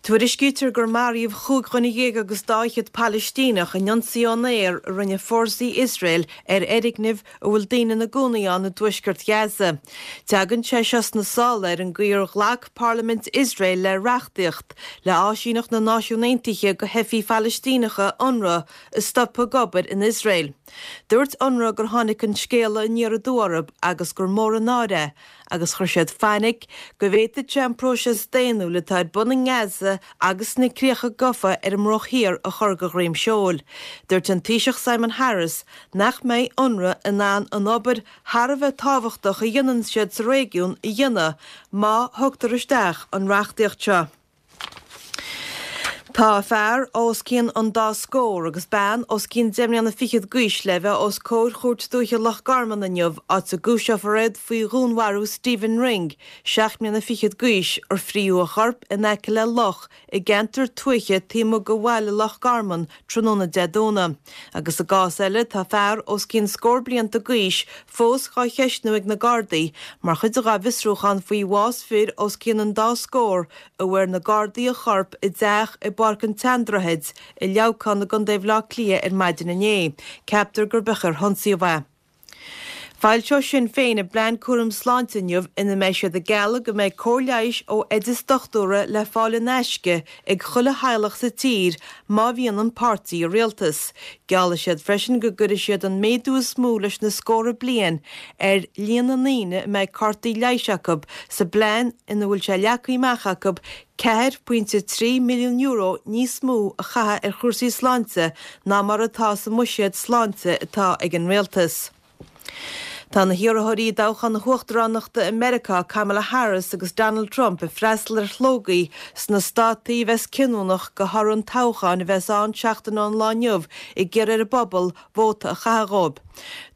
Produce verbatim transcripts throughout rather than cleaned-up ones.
Tuairiscítear gur maraíodh chúig dhuine dhéag agus dá fhichead Palaistíneach in ionsaí ón aer a rinne fórsaí Iosrael ar fhoirgneamh a bhfuil daoine ina gcónaí ann i dtuaisceart Ghaza. Tagann sé seo sna sála ar an gcaoi ar ghlac Parlaimint Iosrael le reachtaíocht le áisíneacht na Náisiún Aontaithe do theifigh Phalaistíneacha UNRWA a stopadh ag obair in Iosrael. Dúirt UNRWA gur tháinig an scéala aniar aduaidh orthu agus gur mór an náire é agus chuir siad fainic go bhféadfadh sé an próiseas daonnúil atá ar bun i nGaza agus sna críocha gafa ar an mBruach Thiar a chur de dhroim seoil. Dúirt an Taoiseach Simon Harris nach mbeidh UNRWA in ann an obair thar a bheith tábhachtach a dhéanann siad sa réigiún a dhéanamh má thugtar isteach an reachtaíocht seo. Tá fear os cionn an dá scór agus bean os cionn deich mbliana fichead d'aois le bheith os comhair Chúirt Dúiche Loch Garman inniu, áit a gcúiseofar iad faoi dhúnmharú Stephen Ring, seacht mbliana fichead d'aois, ar frítheadh a chorp in aice le loch i gceantar tuaithe taobh amuigh de bhaile Loch Garman tráthnóna Dé Domhnaigh. Agus i gcás eile, tá fear os cionn scór blianta d'aois fós dhá cheistniú ag na Gardaí mar chuid dá bhfiosrúchán faoi bhás fir os cionn an dá scór a bhfuair na Gardaí a chorp i dteach i bPáirc an tSeandroichid i Leamhcán i gContae Bhaile Átha Cliath ar maidin inné. Ceaptar gur b'é ar hionsaíodh é. Foilseoidh Sinn Féin a bplean cúram sláinte inniu ina mbeidh siad ag gealladh go mbeidh cóir leighis ó oideas dochtúra le fáil in aisce ag chuile theaghlach sa tír má bhíonn an páirtí i rialtas. Geallfaidh siad freisin go gcuirfidh siad an méadú is mó leis na scórtha bliain ar líon na ndaoine a mbeidh cártaí leighis acu sa bplean ina bhfuil sé leagtha amach acu ceathair pointe trí milliún euro níos mó a chaitheamh ar chúrsaí sláinte ná mar atá sa mbuiséad sláinte atá ag an rialtas. Tá na hiarrthóirí i dtoghchán na huachtaránachta i Meiriceá Kamala Harris agus Donald Trump ag freastal ar shlógaí sna státaí a bheas cinniúnach do thoradh an toghcháin a bheas ann seachtain ón lá inniu ag iarraidh ar an bpobal vóta a chaitheamh dóibh.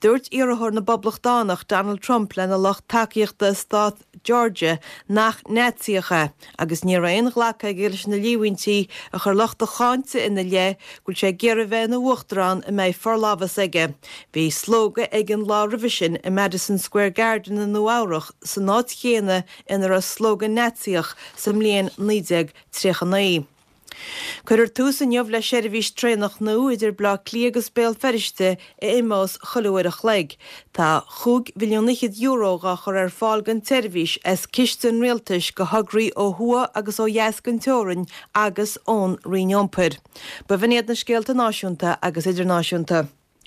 Dúirt iarrthóir na bPoblachtánach Donald Trump lena lucht tacaíochta i stát Georgia nach Naitsíoch é agus ní raibh aon ghlacadh aige leis na líomhaintí a chuir lucht a cháinte ina leith go bhfuil sé ag iarraidh bheith ina uachtarán a mbeidh forlámhas aige. Bhí slógadh ag an lá roimhe sin i Madison Square Garden i Nua Eabhrac san áit chéanna ina raibh slógadh Naitsíoch sa mbliain naoi déag tríocha naoi. Cuirfear tús inniu le seirbhís traenach nua idir Baile Átha Cliath agus Béal Feirste a imeos chuile uair a chloig. Tá chúig mhilliún fhichead euro dhá chur ar fáil don tseirbhís as ciste an rialtais do thograí ó thuaidh agus ó dheas den teorainn agus ón Roinn Iompair. B'in iad na scéalta náisiúnta agus idirnáisiúnta.